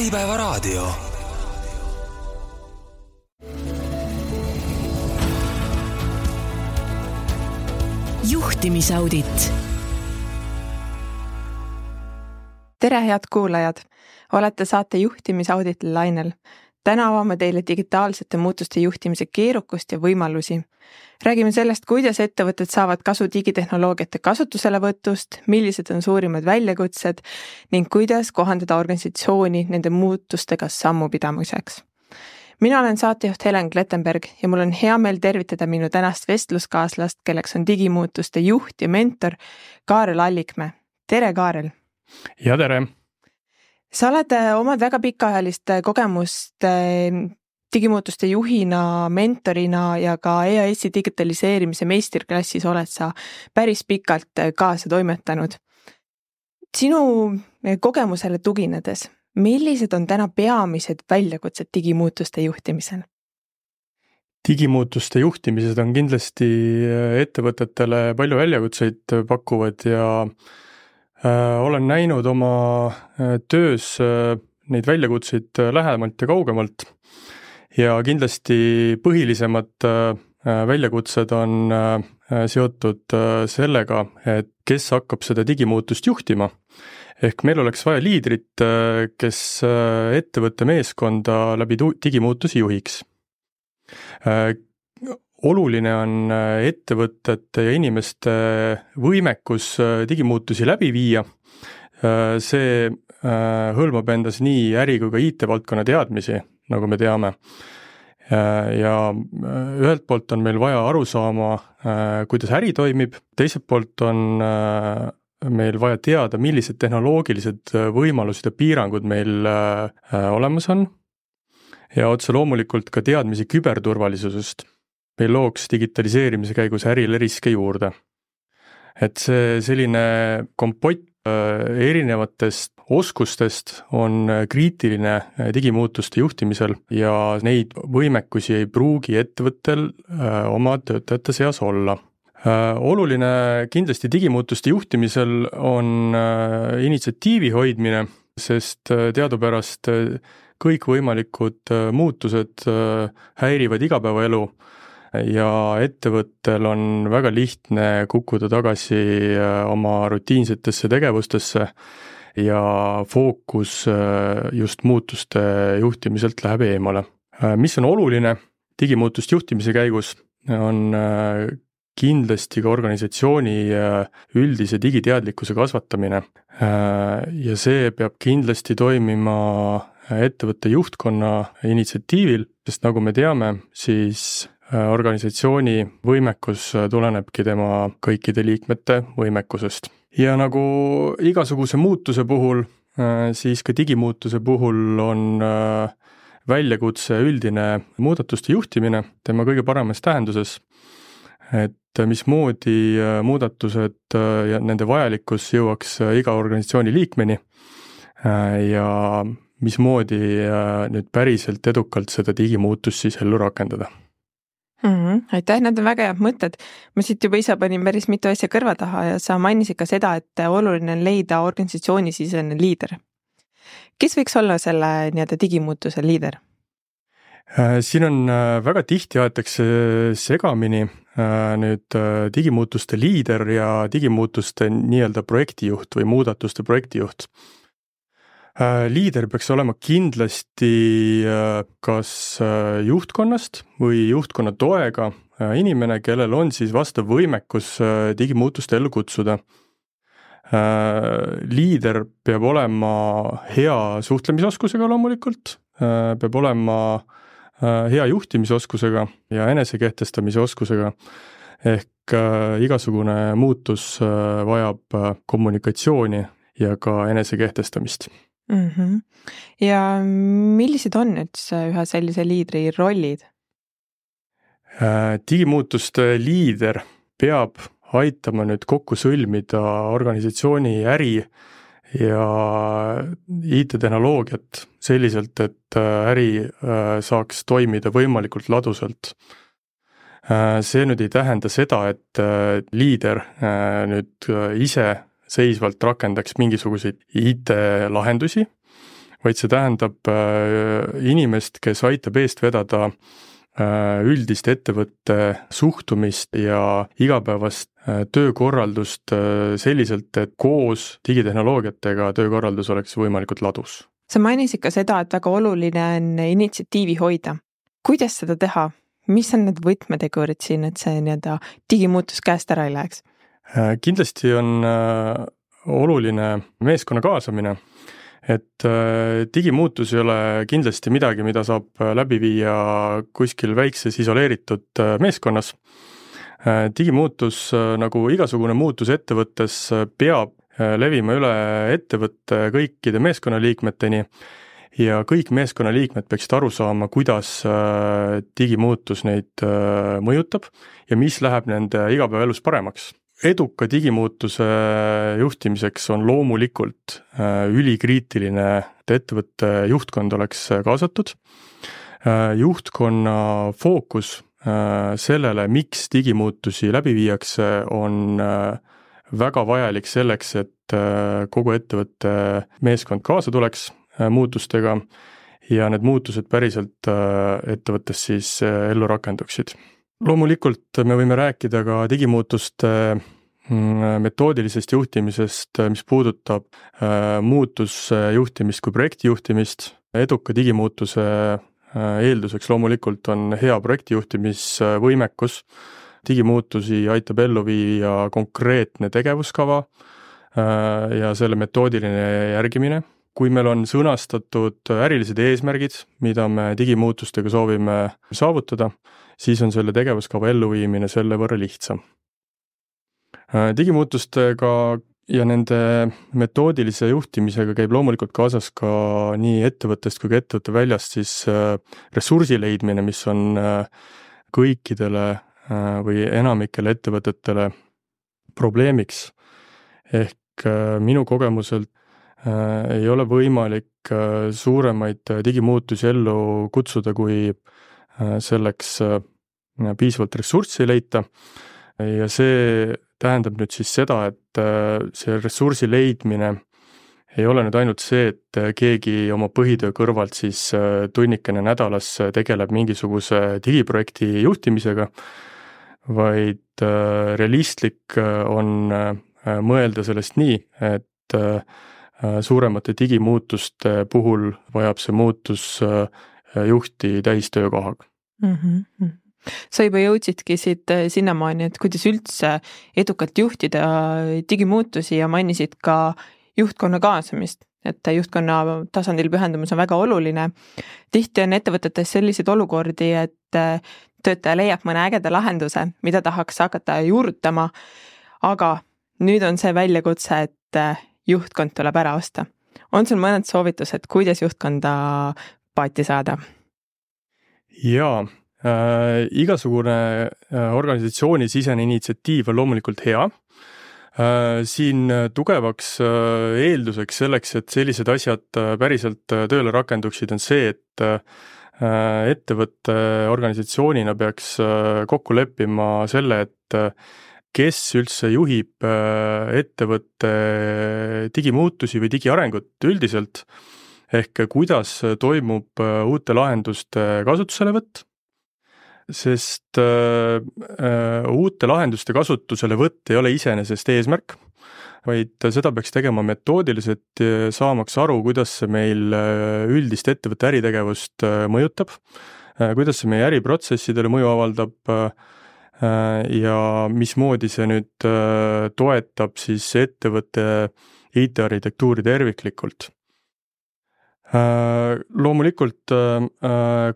Äripäevaraadio. Juhtimisaudit. Tere, head kuulajad! Olete saate juhtimisauditi lainel. Täna avame teile digitaalsete muutuste juhtimise keerukust ja võimalusi. Räägime sellest, kuidas ettevõtted saavad kasu digitehnoloogiate kasutuselevõtust, millised on suurimad väljakutsed ning kuidas kohandada organisatsiooni nende muutustega sammu pidamiseks. Mina olen saatejuht Helen Klettenberg ja mul on hea meel tervitada minu tänast vestluskaaslast, kelleks on digimuutuste juht ja mentor Kaarel Allikmäe. Tere, Kaarel! Ja tere! Sa oled omad väga pikaajalist kogemust digimuutuste juhina, mentorina ja ka EAS-i digitaliseerimise meisterklassis oled sa päris pikalt kaasa toimetanud. Sinu kogemusele tuginedes, millised on täna peamised väljakutsed digimuutuste juhtimisel? Digimuutuste juhtimised on kindlasti ettevõtetele palju väljakutseid pakuvad ja olen näinud oma töös neid väljakutseid lähemalt ja kaugemalt ja kindlasti põhilisemad väljakutsed on seotud sellega, et kes hakkab seda digimuutust juhtima. Ehk meil oleks vaja liidrit, kes ettevõtte meeskonda läbi digimuutusi juhiks. Oluline on ettevõtete ja inimeste võimekus digimuutusi läbi viia. See hõlmab endas nii äri kui ka IT-valdkonna teadmisi, nagu me teame. Ja ühelt poolt on meil vaja aru saama, kuidas äri toimib, teiselt poolt on meil vaja teada, millised tehnoloogilised võimalused ja piirangud meil olemas on ja otse loomulikult ka teadmisi küberturvalisusest. Meil looks digitaliseerimise käigus ärile riske juurde. Et see selline kompott erinevatest oskustest on kriitiline digimuutuste juhtimisel ja neid võimekusi ei pruugi ettevõttel oma töötajate seas olla. Oluline kindlasti digimuutuste juhtimisel on initsiatiivi hoidmine, sest teadupärast kõikvõimalikud muutused häirivad igapäevaelu ja ettevõttel on väga lihtne kukkuda tagasi oma rutiinsetesse tegevustesse ja fookus just muutuste juhtimiselt läheb eemale. Mis on oluline digimuutuste juhtimise käigus, on kindlasti ka organisatsiooni üldise digiteadlikkuse kasvatamine ja see peab kindlasti toimima ettevõtte juhtkonna initsiatiivil, sest nagu me teame, siis organisatsiooni võimekus tulenebki tema kõikide liikmete võimekusest. Ja nagu igasuguse muutuse puhul, siis ka digimuutuse puhul on väljakutse üldine muudatuste juhtimine tema kõige paremas tähenduses, et mismoodi muudatused ja nende vajalikkus jõuaks iga organisatsiooni liikmeni ja mismoodi nüüd päriselt edukalt seda digimuutust siis ellu rakendada. Aitäh, need on väga head mõtted. Ma siit juba ise panin päris mitu asja kõrva taha ja sa mainisid ka seda, et oluline on leida organisatsioonisisene liider. Kes võiks olla selle digimuutuse liider? Siin on väga tihti aetakse segamini nüüd digimuutuste liider ja digimuutuste projektijuht või muudatuste projektijuht. Liider peaks olema kindlasti kas juhtkonnast või juhtkonna toega inimene, kellel on siis vastav võimekus digimuutuste ellu kutsuda. Liider peab olema hea suhtlemisoskusega loomulikult, peab olema hea juhtimisoskusega ja enesekehtestamise oskusega, ehk igasugune muutus vajab kommunikatsiooni ja ka enesekehtestamist. Ja millised on nüüd ühe sellise liidri rollid? Digimuutuste liider peab aitama nüüd kokku sõlmida organisatsiooni äri ja IT-tehnoloogiat selliselt, et äri saaks toimida võimalikult ladusalt. See nüüd ei tähenda seda, et liider nüüd ise seisvalt rakendaks mingisuguseid IT-lahendusi, vaid see tähendab inimest, kes aitab eest vedada üldist ettevõtte suhtumist ja igapäevast töökorraldust selliselt, et koos digitehnoloogiatega töökorraldus oleks võimalikult ladus. Sa mainisid ka seda, et väga oluline on initsiatiivi hoida. Kuidas seda teha? Mis on need võtmetegurid siin, et see digimuutus käest ära ei läheks? Kindlasti on oluline meeskonna kaasamine, et digimuutus ei ole kindlasti midagi, mida saab läbi viia kuskil väikses isoleeritud meeskonnas. Digimuutus, nagu igasugune muutus ettevõttes, peab levima üle ettevõtte kõikide meeskonnaliikmeteni ja kõik meeskonnaliikmed peaksid aru saama, kuidas digimuutus neid mõjutab ja mis läheb nende igapäevaelus paremaks. Eduka digimuutuse juhtimiseks on loomulikult ülikriitiline, et ettevõtte juhtkond oleks kaasatud. Juhtkonna fookus sellele, miks digimuutusi läbi viiakse, on väga vajalik selleks, et kogu ettevõtte meeskond kaasa tuleks muutustega ja need muutused päriselt ettevõttes siis ellu rakenduksid. Loomulikult me võime rääkida ka digimuutuste metoodilisest juhtimisest, mis puudutab muutusjuhtimist kui projektijuhtimist. Eduka digimuutuse eelduseks loomulikult on hea projektijuhtimisvõimekus. Digimuutusi aitab ellu viia konkreetne tegevuskava ja selle metoodiline järgimine. Kui meil on sõnastatud ärilised eesmärgid, mida me digimuutustega soovime saavutada, siis on selle tegevuskava elluviimine selle võrra lihtsam. Digimuutustega ja nende metoodilise juhtimisega käib loomulikult kaasas ka nii ettevõttest kui ka ettevõtte väljast siis ressursi leidmine, mis on kõikidele või enamikele ettevõtetele probleemiks. Ehk minu kogemuselt ei ole võimalik suuremaid digimuutusi ellu kutsuda, kui selleks piisavalt ressurssi leita. Ja see tähendab nüüd siis seda, et see ressursi leidmine ei ole nüüd ainult see, et keegi oma põhitöö kõrvalt siis tunnikene nädalas tegeleb mingisuguse digiprojekti juhtimisega, vaid realistlik on mõelda sellest nii, et suuremate digimuutuste puhul vajab see muutus juhti täistöökohaga. Mm-hmm. Sa juba jõudsidki siit sinnamaani, et kuidas üldse edukalt juhtida digimuutusi ja mainisid ka juhtkonna kaasamist, et juhtkonna tasandil pühendumus on väga oluline. Tihti on ettevõtetes selliseid olukordi, et töötaja leiab mõne ägeda lahenduse, mida tahaks hakata juurutama, aga nüüd on see väljakutse, et juhtkond tuleb ära osta. On sul mõned soovitused, kuidas juhtkonda paati saada? Jaa, igasugune organisatsiooni sisene initsiatiiv on loomulikult hea. Siin tugevaks eelduseks selleks, et sellised asjad päriselt tööle rakenduksid, on see, et ettevõtte organisatsioonina peaks kokku leppima selle, et kes üldse juhib ettevõtte digimuutusi või digiarengut üldiselt, ehk kuidas toimub uute lahenduste kasutuselevõtt, sest uute lahenduste kasutuselevõtt ei ole iseenesest eesmärk, vaid seda peaks tegema metoodiliselt, saamaks aru, kuidas see meil üldist ettevõtte äritegevust mõjutab, kuidas see meie äriprotsessidele mõju avaldab ja mismoodi see nüüd toetab siis ettevõtte IT-arhitektuuri terviklikult. Loomulikult,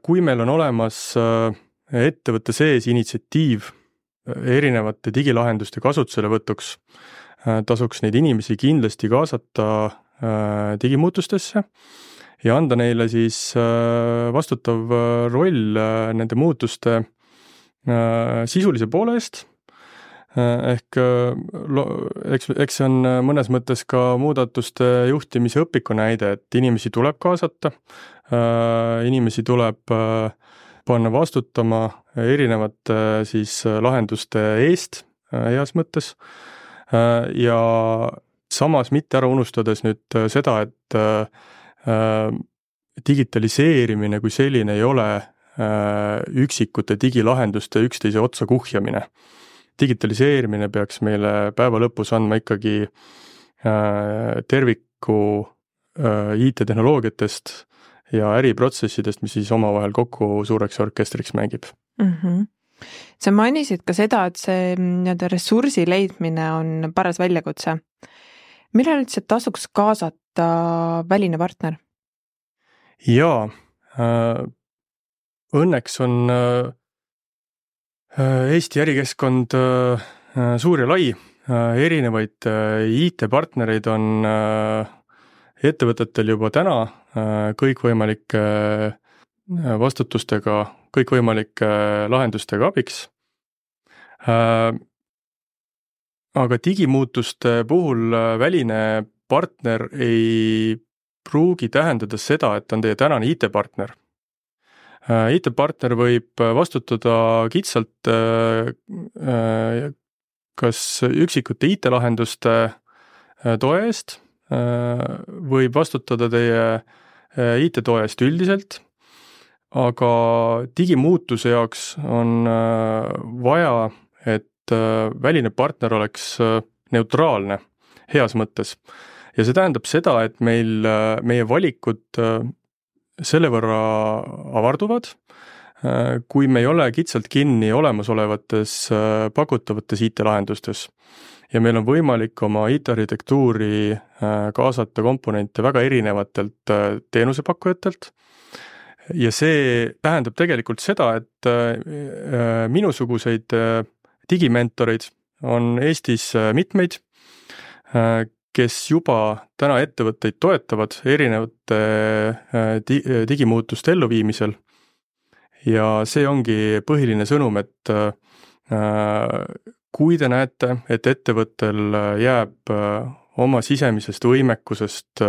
kui meil on olemas ettevõtte sees initsiatiiv erinevate digilahenduste kasutuselevõtuks, tasuks neid inimesi kindlasti kaasata digimuutustesse ja anda neile siis vastutav roll nende muutuste sisulise poole eest. Ehk eks see on mõnes mõttes ka muudatuste juhtimise õpiku näide, et inimesi tuleb kaasata, inimesi tuleb panna vastutama erinevate siis lahenduste eest heas mõttes ja samas mitte ära unustades nüüd seda, et digitaliseerimine kui selline ei ole üksikute digilahenduste üksteise otsa kuhjamine. Digitaliseerimine peaks meile päeva lõpus andma ikkagi terviku IT-tehnoloogiatest ja äriprotsessidest, mis siis omavahel kokku suureks orkestriks mängib. Sa mainisid ka seda, et see ressursi leidmine on paras väljakutse. Millal üldse tasuks kaasata väline partner? Jaa, õnneks on Eesti ärikeskkond suur ja lai. Erinevaid IT-partnereid on ettevõtetel juba täna kõikvõimalike vastutustega, kõikvõimalike lahendustega abiks. Aga digimuutuste puhul väline partner ei pruugi tähendada seda, et on teie tänane IT-partner. IT-partner võib vastutada kitsalt kas üksikute IT-lahenduste toe eest, võib vastutada teie IT-toe eest üldiselt, aga digimuutuse jaoks on vaja, et väline partner oleks neutraalne heas mõttes. Ja see tähendab seda, et meie valikud selle võrra avarduvad, kui me ei ole kitsalt kinni olemasolevates pakutavates IT-lahendustes. Ja meil on võimalik oma IT-arhitektuuri kaasata komponente väga erinevatelt teenusepakkujatelt. Ja see tähendab tegelikult seda, et minusuguseid digimentoreid on Eestis mitmeid, kes juba täna ettevõtteid toetavad erinevate digimuutuste elluviimisel. Ja see ongi põhiline sõnum, et kui te näete, et ettevõttel jääb oma sisemisest võimekusest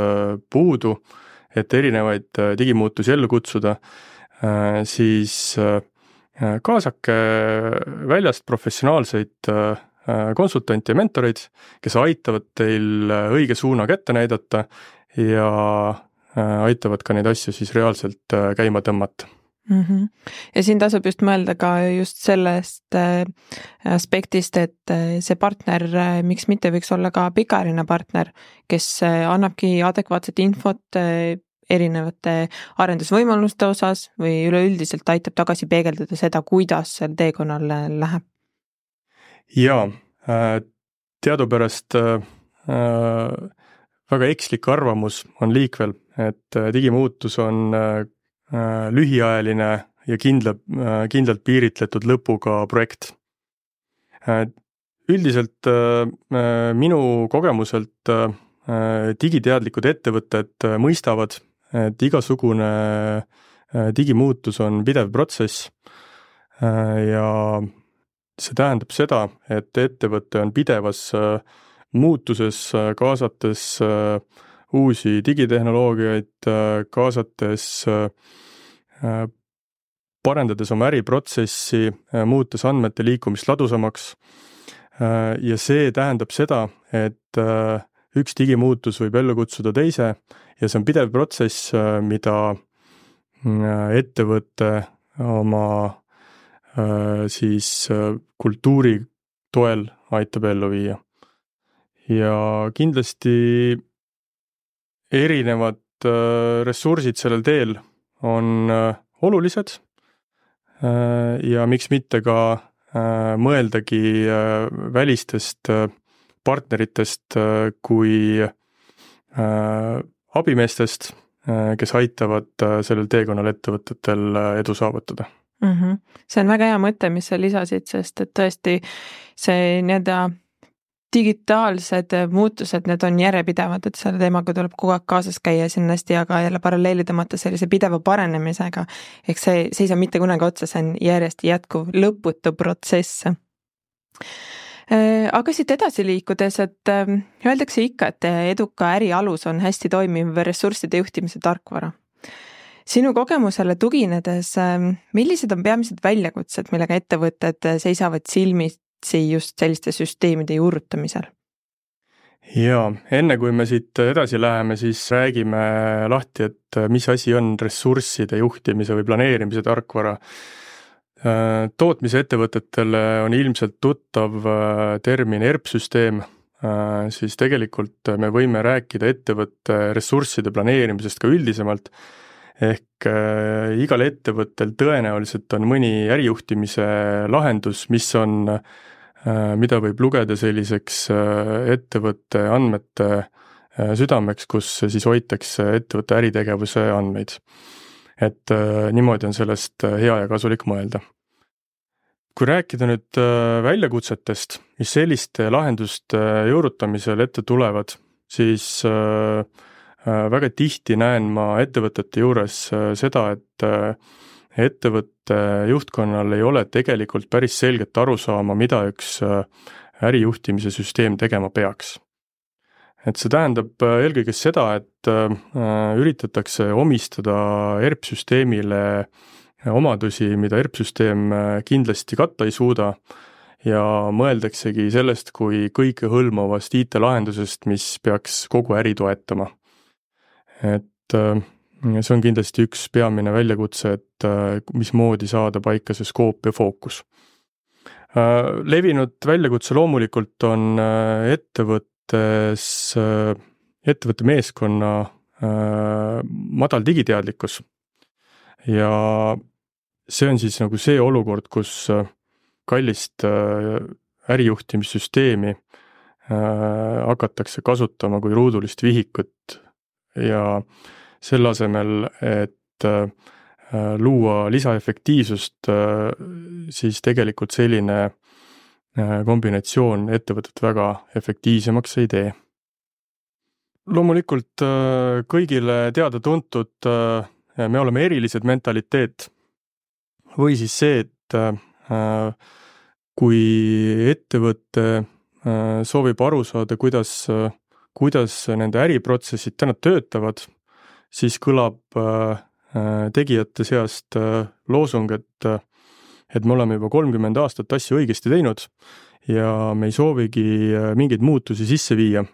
puudu, et erinevaid digimuutusi ellu kutsuda, siis kaasake väljast professionaalseid konsultante ja mentoreid, kes aitavad teil õige suuna kätte näidata ja aitavad ka neid asju siis reaalselt käima tõmmata. Ja siin tasub just mõelda ka just sellest aspektist, et see partner, miks mitte võiks olla ka pikaajaline partner, kes annabki adekvaatset infot erinevate arendusvõimaluste osas või üleüldiselt aitab tagasi peegeldada seda, kuidas seal teekonnal läheb. Jaa, teadupärast väga ekslik arvamus on liikvel, et digimuutus on lühiajaline ja kindlalt piiritletud lõpuga projekt. Üldiselt minu kogemuselt digiteadlikud ettevõtted mõistavad, et igasugune digimuutus on pidev protsess ja see tähendab seda, et ettevõte on pidevas muutuses, kaasates uusi digitehnoloogiaid, kaasates, parendades oma äriprotsessi, muutes andmete liikumist ladusamaks. Ja see tähendab seda, et üks digimuutus võib ellu kutsuda teise ja see on pidev protsess, mida ettevõte oma siis kultuuri toel aitab ellu viia. Ja kindlasti erinevad ressursid sellel teel on olulised ja miks mitte ka mõeldagi välistest partneritest kui abimeestest, kes aitavad sellel teekonnal ettevõtetel edu saavutada. See on väga hea mõte, mis sa lisasid, sest et tõesti see digitaalsed muutused, need on järjepidevad, et selle teemaga tuleb kogu aeg kaasas käia, siin hästi aga jälle paralleeli tõmmata sellise pideva paranemisega. Ehk see ei saa mitte kunagi otsa, see on järjest jätkuv lõputu protsess. Aga siit edasi liikudes, et öeldakse ikka, et eduka äri alus on hästi toimiv ressursside juhtimise tarkvara. Sinu kogemusele tuginedes, millised on peamised väljakutsed, millega ettevõtted seisavad silmitsi just selliste süsteemide juurutamisel? Jaa, enne kui me siit edasi läheme, siis räägime lahti, et mis asi on ressursside juhtimise või planeerimise tarkvara. Tootmise ettevõtetele on ilmselt tuttav termin ERP-süsteem, siis tegelikult me võime rääkida ettevõtte ressursside planeerimisest ka üldisemalt, ehk igal ettevõttel tõenäoliselt on mõni ärijuhtimise lahendus, mida võib lugeda selliseks ettevõtte andmete südameks, kus siis hoitakse ettevõtte äritegevuse andmeid. Et niimoodi on sellest hea ja kasulik mõelda. Kui rääkida nüüd väljakutsetest, mis selliste lahenduste juurutamisel ette tulevad, siis väga tihti näen ma ettevõtete juures seda, et ettevõtte juhtkonnal ei ole tegelikult päris selget arusaama, mida üks ärijuhtimise süsteem tegema peaks. Et see tähendab eelkõige seda, et üritatakse omistada ERP-süsteemile omadusi, mida ERP-süsteem kindlasti katta ei suuda, ja mõeldaksegi sellest kui kõikehõlmavast IT-lahendusest, mis peaks kogu äri toetama. Et see on kindlasti üks peamine väljakutse, et mismoodi saada paika see skoop ja fookus. Levinud väljakutse loomulikult on ettevõtte meeskonna madal digiteadlikkus. Ja see on siis nagu see olukord, kus kallist ärijuhtimissüsteemi hakatakse kasutama kui ruudulist vihikut ja selle asemel, et luua lisaefektiivsust, siis tegelikult selline kombinatsioon ettevõtet väga efektiivsemaks ei tee. Loomulikult kõigile teada-tuntud me oleme erilised mentaliteet või siis see, et kui ettevõte soovib aru saada, kuidas nende äriprotsessid täna töötavad, siis kõlab tegijate seast loosung, et me oleme juba 30 aastat asju õigesti teinud ja me ei soovigi mingeid muutusi sisse viia.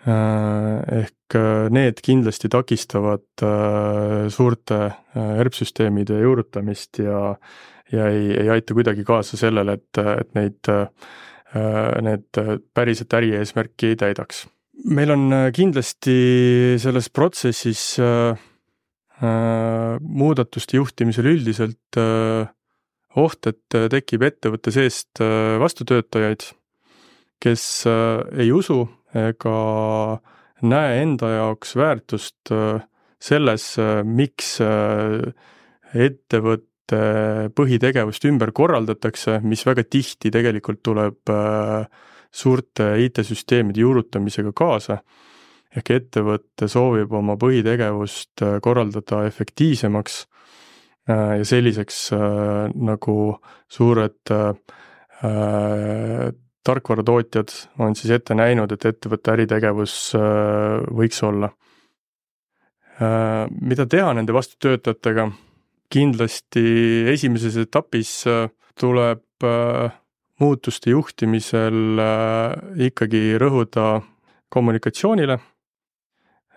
Ehk need kindlasti takistavad suurte ERP-süsteemide juurutamist ja ei aita kuidagi kaasa sellele, et need päriselt ärieesmärki ei täidaks. Meil on kindlasti selles protsessis muudatuste juhtimisel üldiselt oht, et tekib ettevõtte seest vastutöötajaid, kes ei usu ega näe enda jaoks väärtust selles, miks ettevõtte põhitegevust ümber korraldatakse, mis väga tihti tegelikult tuleb suurte IT-süsteemide juurutamisega kaasa, ehk ettevõtte soovib oma põhitegevust korraldada efektiivsemaks ja selliseks nagu suured tarkvaratootjad on siis ette näinud, et ettevõtte äritegevus võiks olla. Mida teha nende vastutöötajatega? Kindlasti esimeses etapis tuleb muutuste juhtimisel ikkagi rõhuda kommunikatsioonile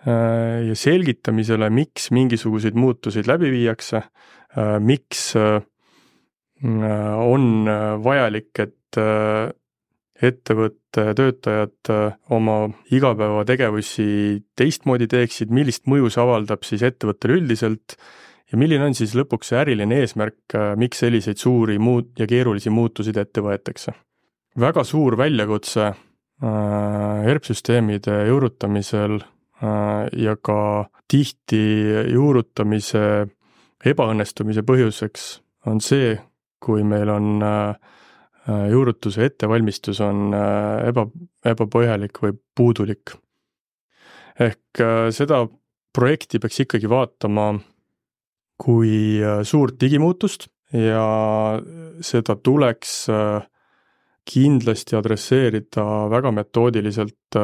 ja selgitamisele, miks mingisuguseid muutuseid läbi viiakse, miks on vajalik, et ettevõtte töötajad oma igapäevategevusi teistmoodi teeksid, millist mõju see avaldab siis ettevõttele üldiselt ja milline on siis lõpuks see äriline eesmärk, miks selliseid suuri ja keerulisi muutusid ette võetakse. Väga suur väljakutse ERP-süsteemide juurutamisel ja ka tihti juurutamise ebaõnnestumise põhjuseks on see, kui meil on juurutuse ettevalmistus on ebapõhjalik või puudulik. Ehk seda projekti peaks ikkagi vaatama kui suurt digimuutust ja seda tuleks kindlasti adresseerida väga metoodiliselt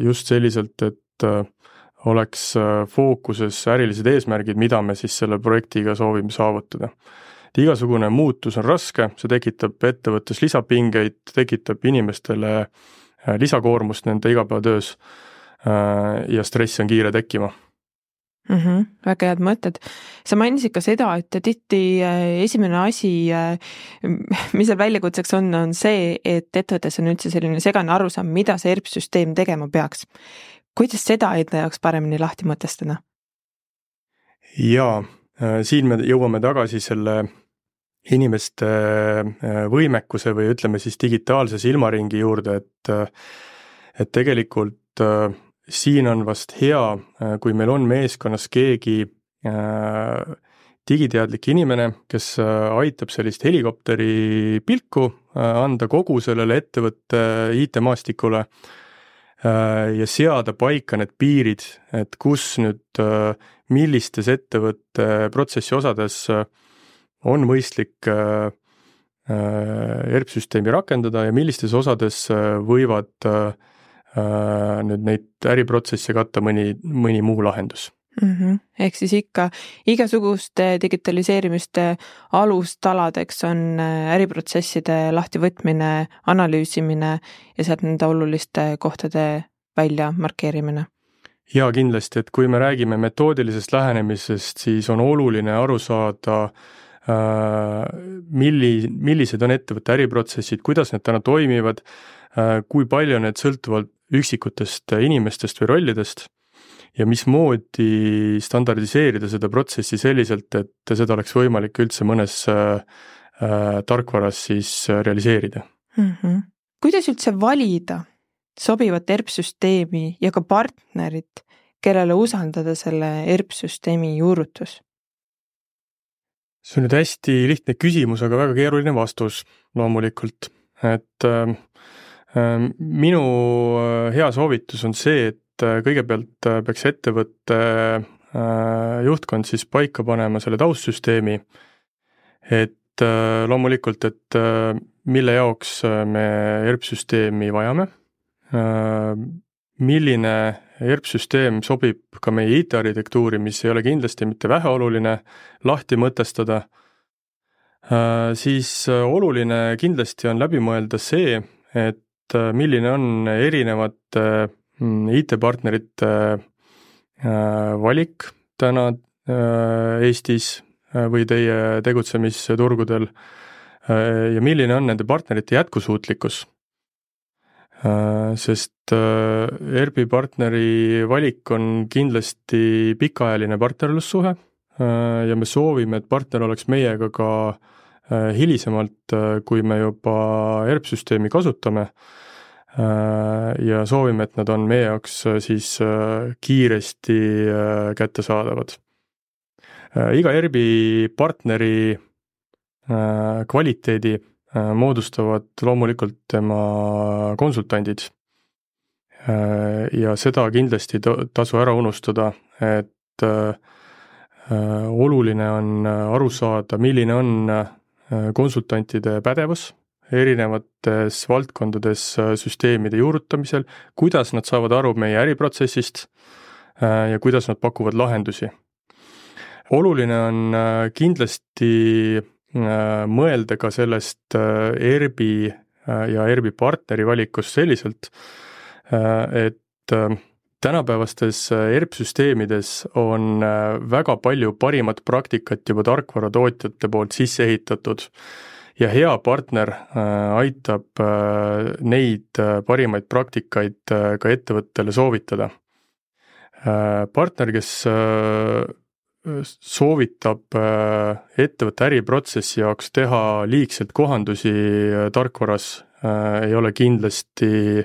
just selliselt, et oleks fookuses ärilised eesmärgid, mida me siis selle projektiga soovime saavutada. Igasugune muutus on raske, see tekitab ettevõttes lisapingeid, tekitab inimestele lisakoormust nende igapäevatöös ja stress on kiire tekkima. Väga head mõtted. Sa mainisid ka seda, et tihti esimene asi, mis seal väljakutseks on see, et ettevõttes on üldse selline segane arusaam, mida see ERP-süsteem tegema peaks. Kuidas seda enda jaoks paremini lahti mõtestada? Jaa, siin me jõuame tagasi selle inimeste võimekuse või ütleme siis digitaalse silmaringi juurde, et tegelikult siin on vast hea, kui meil on meeskonnas keegi digiteadlik inimene, kes aitab sellist helikopteri pilku anda kogu sellele ettevõtte IT-maastikule ja seada paika need piirid, et kus nüüd millistes ettevõtte protsessi osades on mõistlik ERP-süsteemi rakendada ja millistes osades võivad nüüd neid äriprotsesse katta mõni muu lahendus. Ehk siis ikka igasuguste digitaliseerimiste alustaladeks on äriprotsesside lahtivõtmine, analüüsimine ja sealt nende oluliste kohtade välja markeerimine. Ja kindlasti, et kui me räägime metoodilisest lähenemisest, siis on oluline aru saada, millised on ettevõtte äriprotsessid, kuidas need täna toimivad, kui palju need sõltuvad üksikutest inimestest või rollidest ja mismoodi standardiseerida seda protsessi selliselt, et seda oleks võimalik üldse mõnes tarkvaras siis realiseerida. Kuidas üldse valida sobivat ERP-süsteemi ja ka partnerit, kellele usaldada selle ERP-süsteemi juurutus? See on nüüd hästi lihtne küsimus, aga väga keeruline vastus loomulikult. Et minu hea soovitus on see, et kõigepealt peaks ettevõtte juhtkond siis paika panema selle taustsüsteemi, et loomulikult, et mille jaoks me ERP-süsteemi vajame, milline ERP-süsteem sobib ka meie IT-arhitektuuri, mis ei ole kindlasti mitte väheoluline lahti mõtestada, siis oluline kindlasti on läbi mõelda see, et milline on erinevate IT-partnerite valik täna Eestis või teie tegutsemisturgudel ja milline on nende partnerite jätkusuutlikkus. Sest ERP-i partneri valik on kindlasti pikaajaline partnerlussuhe ja me soovime, et partner oleks meiega ka hilisemalt, kui me juba ERP-süsteemi kasutame ja soovime, et nad on meie jaoks siis kiiresti kättesaadavad. Iga ERP-i partneri kvaliteedi moodustavad loomulikult tema konsultandid ja seda kindlasti tasu ära unustada, et oluline on aru saada, milline on konsultantide pädevus erinevates valdkondades süsteemide juurutamisel, kuidas nad saavad aru meie äriprotsessist ja kuidas nad pakuvad lahendusi. Oluline on kindlasti mõelda ka sellest ERP-i ja ERP-i partneri valikust selliselt, et tänapäevastes ERP-süsteemides on väga palju parimat praktikat juba tarkvaratootjate poolt sisse ehitatud ja hea partner aitab neid parimaid praktikaid ka ettevõttele soovitada. Partner, kes soovitab ettevõtte äriprotsessi jaoks teha liigselt kohandusi tarkvaras, ei ole kindlasti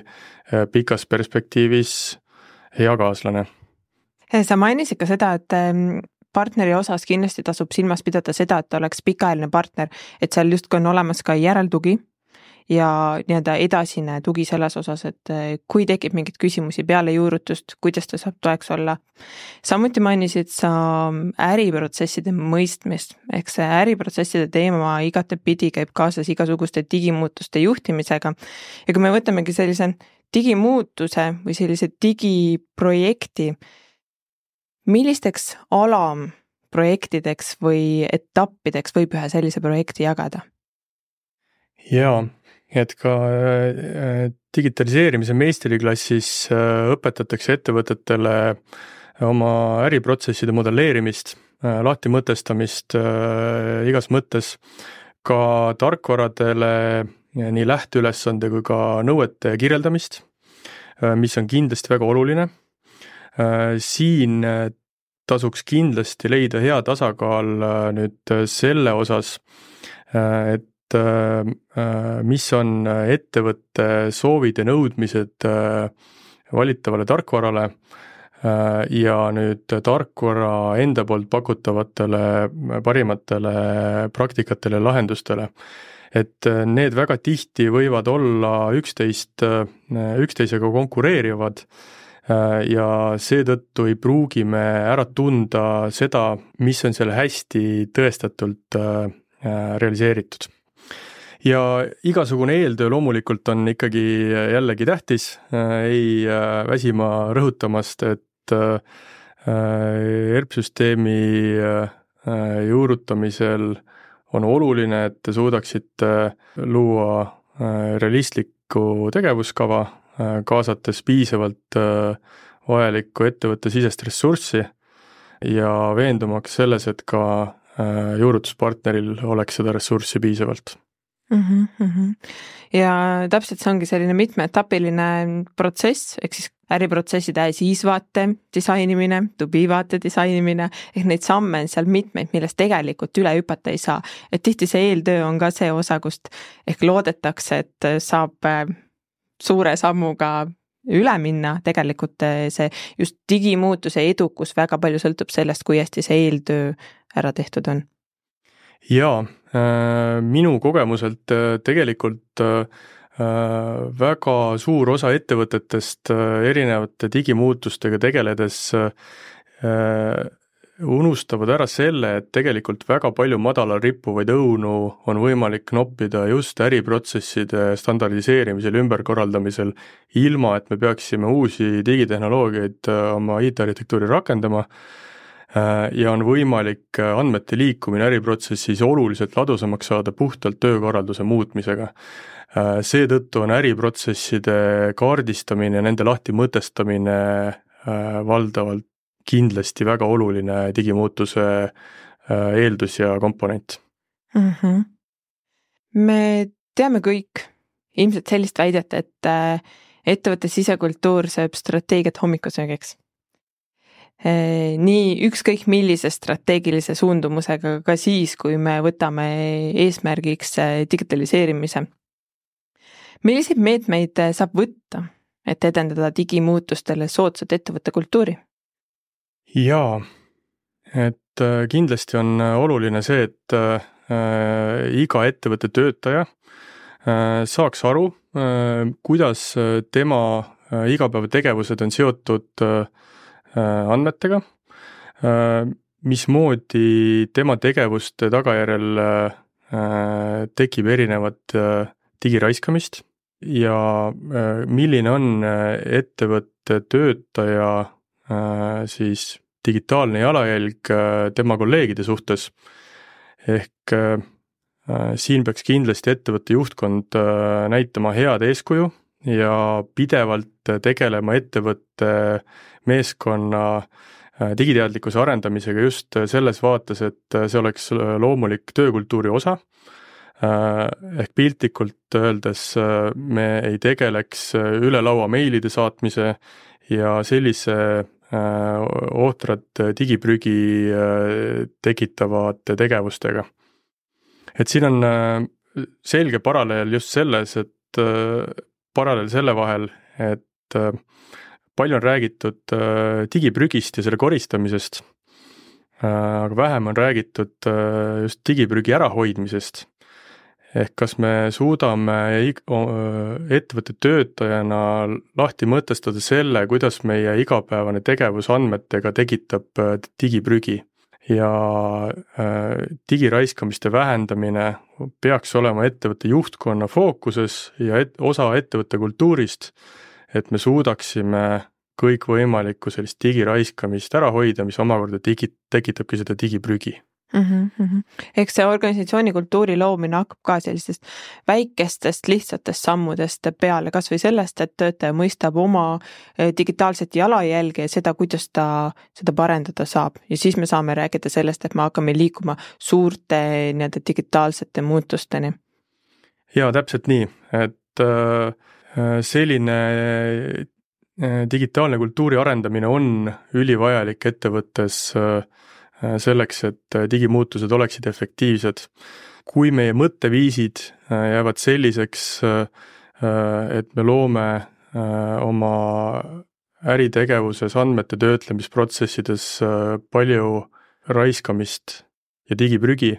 pikas perspektiivis hea kaaslane. Sa mainisid ka seda, et partneri osas kindlasti tasub silmas pidada seda, et oleks pikaajaline partner, et seal justkui on olemas ka järeltugi ja nii-öelda edasine tugi selles osas, et kui tekib mingid küsimusi peale juurutust, kuidas ta saab toeks olla. Samuti mainisid sa äriprotsesside mõistmist, ehk see äriprotsesside teema igatepidi käib kaasas igasuguste digimuutuste juhtimisega. Ja kui me võtamegi sellise digimuutuse või sellise digiprojekti, millisteks alamprojektideks või etappideks võib ühe sellise projekti jagada? Jaa, et ka digitaliseerimise meistriklassis õpetatakse ettevõtetele oma äriprotsesside modelleerimist, lahti mõtestamist igas mõttes, ka tarkvaradele nii lähteülesande kui ka nõuete kirjeldamist, mis on kindlasti väga oluline. Siin tasuks kindlasti leida hea tasakaal nüüd selle osas, et mis on ettevõtte soovid ja nõudmised valitavale tarkvarale ja nüüd tarkvara enda poolt pakutavatele parimatele praktikatele ja lahendustele. Et need väga tihti võivad olla üksteisega konkureerivad ja seetõttu ei pruugi me ära tunda seda, mis on selle hästi tõestatult realiseeritud. Ja igasugune eeltöö loomulikult on ikkagi jällegi tähtis, ei väsima rõhutamast, et ERP-süsteemi juurutamisel on oluline, et te suudaksite luua realistlikku tegevuskava, kaasates piisavalt vajalikku ettevõtte sisest ressurssi ja veendumaks selles, et ka juurutuspartneril oleks seda ressurssi piisavalt. Ja täpselt see ongi selline mitmeetapiline protsess, ehk siis äriprotsesside siis-vaate disainimine, to-be-vaate disainimine, ehk neid samme on seal mitmeid, millest tegelikult üle hüpata ei saa. Et tihti see eeltöö on ka see osa, kust ehk loodetakse, et saab suure sammuga üle minna, tegelikult see just digimuutuse edukus väga palju sõltub sellest, kui hästi see eeltöö ära tehtud on. Jaa, minu kogemuselt tegelikult väga suur osa ettevõtetest erinevate digimuutustega tegeledes unustavad ära selle, et tegelikult väga palju madalal rippuvaid õunu on võimalik noppida just äriprotsesside standardiseerimisel, ümberkorraldamisel, ilma et me peaksime uusi digitehnoloogiaid oma IT-arhitektuuri rakendama ja on võimalik andmete liikumine äriprotsessis oluliselt ladusamaks saada puhtalt töökorralduse muutmisega. Seetõttu on äriprotsesside kaardistamine, nende lahti mõtestamine valdavalt kindlasti väga oluline digimuutuse eeldus ja komponent. Me teame kõik ilmselt sellist väidet, et ettevõtte sisekultuur sööb strateegiat hommikusöögiks. Nii ükskõik millise strateegilise suundumusega ka siis, kui me võtame eesmärgiks digitaliseerimise. Milliseid meetmeid saab võtta, et edendada digimuutustele soodsat ettevõtte kultuuri? Jaa, et kindlasti on oluline see, et iga ettevõtte töötaja saaks aru, kuidas tema igapäevategevused on seotud andmetega, mismoodi tema tegevuste tagajärjel tekib erinevat digiraiskamist ja milline on ettevõtte töötaja siis digitaalne jalajälg tema kolleegide suhtes. Ehk siin peaks kindlasti ettevõtte juhtkond näitama head eeskuju ja pidevalt tegelema ettevõtte meeskonna digiteadlikkuse arendamisega just selles vaates, et see oleks loomulik töökultuuri osa. Ehk piltlikult öeldes me ei tegeleks üle laua meilide saatmise ja sellise ohtrat digiprügi tekitavate tegevustega. Et siin on selge paralleel just selles, et paralleel selle vahel, et palju on räägitud digiprügist ja selle koristamisest, aga vähem on räägitud just digiprügi ärahoidmisest. Ehk kas me suudame ettevõtte töötajana lahti mõtestada selle, kuidas meie igapäevane tegevus andmetega tekitab digiprügi ja digiraiskamiste vähendamine peaks olema ettevõtte juhtkonna fookuses ja osa ettevõtte kultuurist, et me suudaksime kõik võimalikku sellist digiraiskamist ära hoida, mis omakorda tekitabki seda digiprügi. Eks see organisatsiooni kultuuri loomine hakkab ka sellistest väikestest lihtsatest sammudest peale, kas või sellest, et töötaja mõistab oma digitaalset jalajälge ja seda, kuidas ta seda parendada saab. Ja siis me saame rääkida sellest, et me hakkame liikuma suurte digitaalsete muutusteni. Jaa, täpselt nii, et selline digitaalne kultuuri arendamine on ülivajalik ettevõttes selleks, et digimuutused oleksid efektiivsed. Kui meie mõtteviisid jäävad selliseks, et me loome oma äritegevuses, andmete töötlemisprotsessides palju raiskamist ja digiprügi,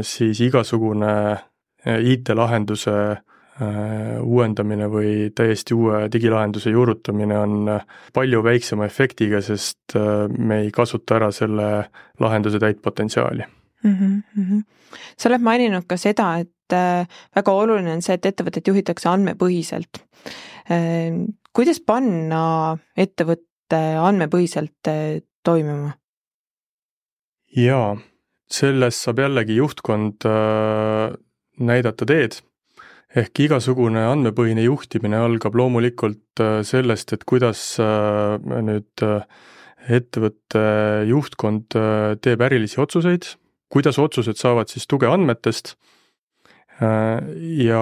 siis igasugune IT-lahenduse uuendamine või täiesti uue digilahenduse juurutamine on palju väiksema efektiga, sest me ei kasuta ära selle lahenduse täit potentsiaali. Sa oled maininud ka seda, et väga oluline on see, et ettevõtet juhitakse andmepõhiselt. Kuidas panna ettevõtte andmepõhiselt toimima? Jaa, selles saab jällegi juhtkond näidata teed. Ehk igasugune andmepõhine juhtimine algab loomulikult sellest, et kuidas nüüd ettevõtte juhtkond teeb ärilisi otsuseid, kuidas otsused saavad siis tuge andmetest ja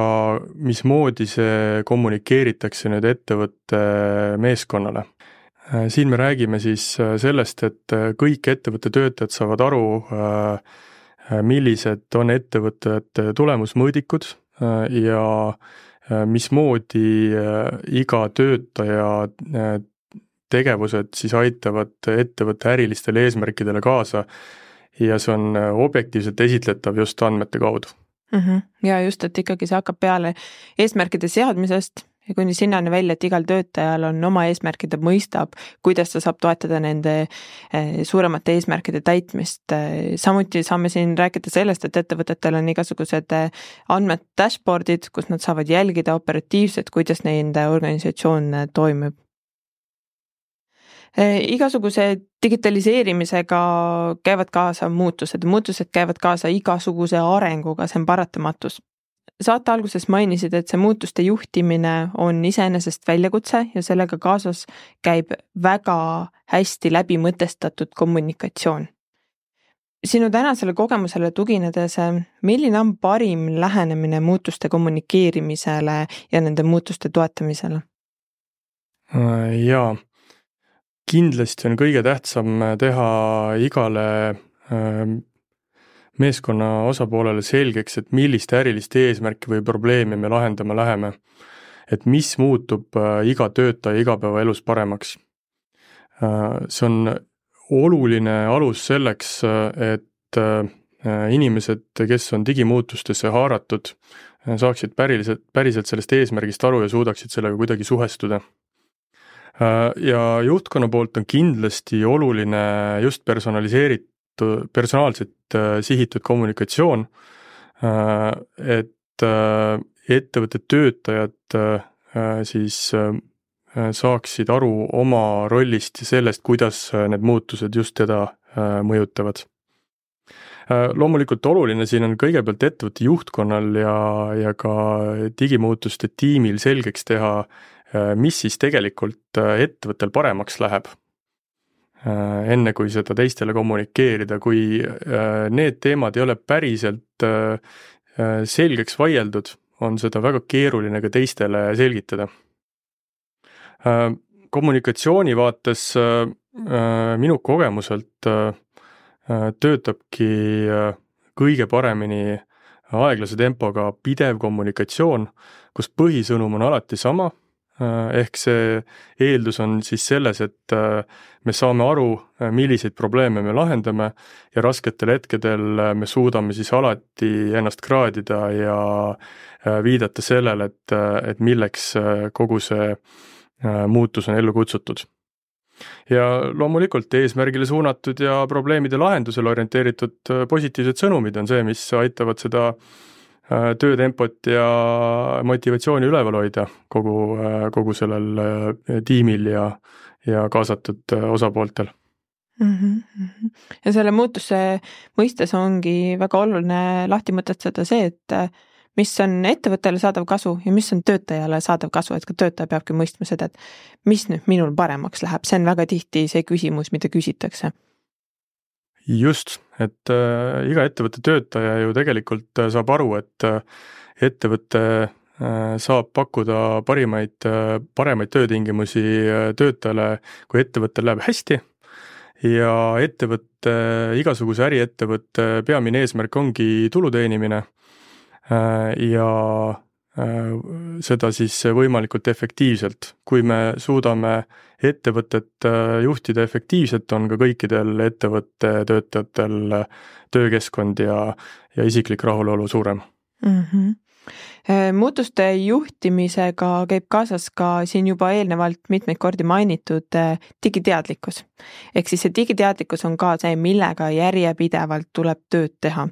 mismoodi see kommunikeeritakse nüüd ettevõtte meeskonnale. Siin me räägime siis sellest, et kõik ettevõtte töötajad saavad aru, millised on ettevõtete tulemusmõõdikud ja mismoodi iga töötaja tegevused siis aitavad ettevõtte ärilistele eesmärkidele kaasa ja see on objektiivselt esitletav just andmete kaudu. Ja just, et ikkagi see hakkab peale eesmärkide seadmisest ja kuni sinnani välja, et igal töötajal on oma eesmärkide mõistab, kuidas ta saab toetada nende suuremate eesmärkide täitmist. Samuti saame siin rääkida sellest, et ettevõtetel on igasugused andmed dashboardid, kus nad saavad jälgida operatiivselt, kuidas nende organisatsioon toimib. Igasuguse digitaliseerimisega käivad kaasa muutused käivad kaasa igasuguse arenguga, see on paratamatus. Saate alguses mainisid, et see muutuste juhtimine on iseenesest väljakutse ja sellega kaasas käib väga hästi läbimõtestatud kommunikatsioon. Sinu tänasele kogemusele tuginedes, milline on parim lähenemine muutuste kommunikeerimisele ja nende muutuste toetamisele? Jaa, kindlasti on kõige tähtsam teha igale meeskonna osapoolele selgeks, et milliste äriliste eesmärki või probleemi me lahendama läheme. Et mis muutub iga töötaja igapäevaelus paremaks. See on oluline alus selleks, et inimesed, kes on digimuutustesse haaratud, saaksid päriselt sellest eesmärgist aru ja suudaksid sellega kuidagi suhestuda. Ja juhtkonna poolt on kindlasti oluline just personaalselt sihitud kommunikatsioon, et ettevõtte töötajad siis saaksid aru oma rollist ja sellest, kuidas need muutused just teda mõjutavad. Loomulikult oluline siin on kõigepealt ettevõtte juhtkonnal ja ka digimuutuste tiimil selgeks teha, mis siis tegelikult ettevõttel paremaks läheb. Enne kui seda teistele kommunikeerida, kui need teemad ei ole päriselt selgeks vaieldud, on seda väga keeruline ka teistele selgitada. Kommunikatsiooni vaates minu kogemuselt töötabki kõige paremini aeglase tempoga pidev kommunikatsioon, kus põhisõnum on alati sama. Ehk see eeldus on siis selles, et me saame aru, milliseid probleeme me lahendame ja rasketel hetkedel me suudame siis alati ennast kraadida ja viidata sellele, et milleks kogu see muutus on ellu kutsutud. Ja loomulikult eesmärgile suunatud ja probleemide lahendusele orienteeritud positiivsed sõnumid on see, mis aitavad seda töötempot ja motivatsiooni üleval hoida kogu sellel tiimil ja kaasatud osapooltel. Ja selle muutuse mõistes ongi väga oluline lahti mõtestada see, et mis on ettevõttele saadav kasu ja mis on töötajale saadav kasu, et ka töötaja peabki mõistma seda, et mis nüüd minul paremaks läheb, see on väga tihti see küsimus, mida küsitakse. Just, et iga ettevõtte töötaja ju tegelikult saab aru, et ettevõtte saab pakkuda paremaid töötingimusi töötajale, kui ettevõttel läheb hästi ja igasuguse äriettevõtte peamine eesmärk ongi tulu teenimine ja seda siis võimalikult efektiivselt. Kui me suudame ettevõtet juhtida efektiivselt, on ka kõikidel ettevõtte töötajatel töökeskkond ja isiklik rahulolu suurem. Muutuste juhtimisega käib kaasas ka siin juba eelnevalt mitmeid kordi mainitud digiteadlikkus. Ehk siis see digiteadlikkus on ka see, millega järjepidevalt tuleb tööd teha.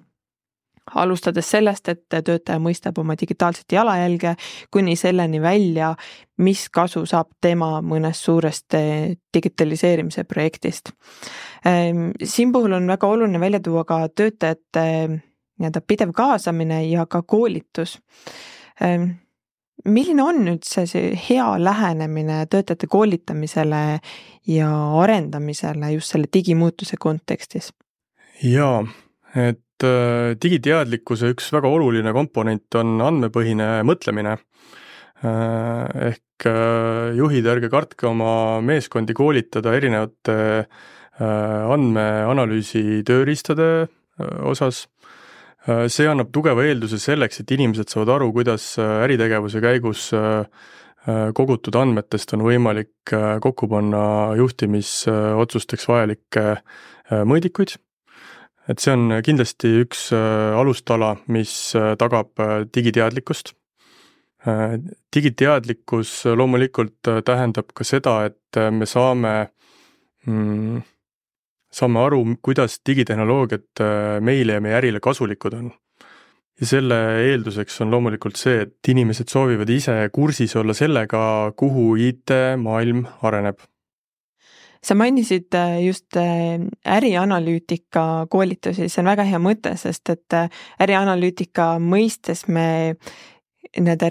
Alustades sellest, et töötaja mõistab oma digitaalset jalajälge, kuni selleni välja, mis kasu saab tema mõnest suurest digitaliseerimise projektist. Siin puhul on väga oluline välja tuua ka töötajate pidev kaasamine ja ka koolitus. Milline on üldse see hea lähenemine töötajate koolitamisele ja arendamisele just selle digimuutuse kontekstis? Jaa, et digiteadlikkuse üks väga oluline komponent on andmepõhine mõtlemine. Ehk juhid, ärge kartke oma meeskondi koolitada erinevate andmeanalüüsi tööriistade osas. See annab tugeva eelduse selleks, et inimesed saavad aru, kuidas äritegevuse käigus kogutud andmetest on võimalik kokku panna juhtimisotsusteks vajalikke mõõdikuid. Et see on kindlasti üks alustala, mis tagab digiteadlikkust. Digiteadlikkus loomulikult tähendab ka seda, et me saame aru, kuidas digitehnoloogiad meile ja meie ärile kasulikud on. Ja selle eelduseks on loomulikult see, et inimesed soovivad ise kursis olla sellega, kuhu IT-maailm areneb. Sa mainisid just ärianalüütika koolitusi, see on väga hea mõte, sest et ärianalüütika mõistes me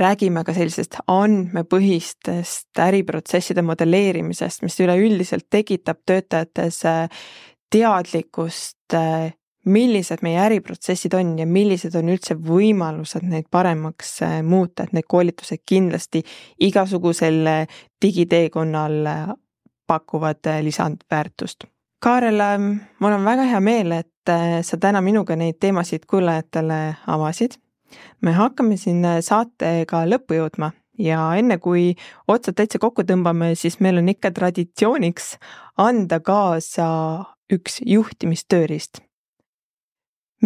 räägime ka sellisest andmepõhistest äriprotsesside modelleerimisest, mis üleüldiselt tekitab töötajates teadlikkust, millised meie äriprotsessid on ja millised on üldse võimalused neid paremaks muuta, et need koolitused kindlasti igasugusel digiteekonnal pakuvad lisandväärtust. Kaarel, mul on väga hea meel, et sa täna minuga neid teemasid kuulajatele avasid. Me hakkame siin saatega lõppu jõudma ja enne kui otsad täitsa kokku tõmbame, siis meil on ikka traditsiooniks anda kaasa üks juhtimistööriist.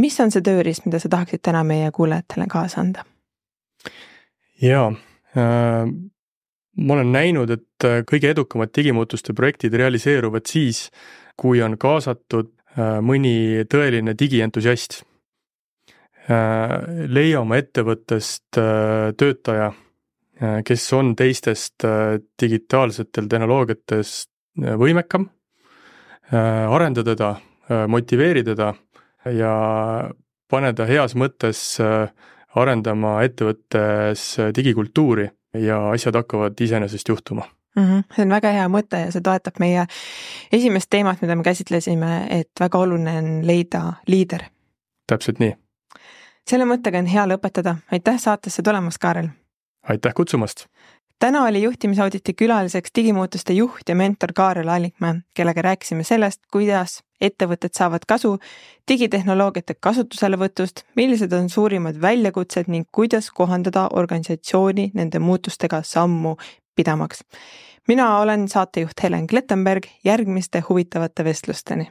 Mis on see tööriist, mida sa tahaksid täna meie kuulajatele kaasa anda? Jaa, ma olen näinud, et kõige edukamad digimuutuste projektid realiseeruvad siis, kui on kaasatud mõni tõeline digientusiast. Leia oma ettevõttest töötaja, kes on teistest digitaalsetel tehnoloogiatest võimekam, arenda teda, motiveeri teda ja pane ta heas mõttes arendama ettevõttes digikultuuri ja asjad hakkavad iseenesest juhtuma. See on väga hea mõte ja see toetab meie esimest teemat, mida me käsitlesime, et väga oluline on leida liider. Täpselt nii. Selle mõttega on hea lõpetada. Aitäh saatesse tulemast, Kaarel. Aitäh kutsumast. Täna oli juhtimisauditi külaliseks digimuutuste juht ja mentor Kaarel Allikmäe, kellega rääkisime sellest, kuidas ettevõtted saavad kasu digitehnoloogiate kasutuselevõtust, millised on suurimad väljakutsed ning kuidas kohandada organisatsiooni nende muutustega sammu pidamaks. Mina olen saatejuht Helen Klettenberg, järgmiste huvitavate vestlusteni.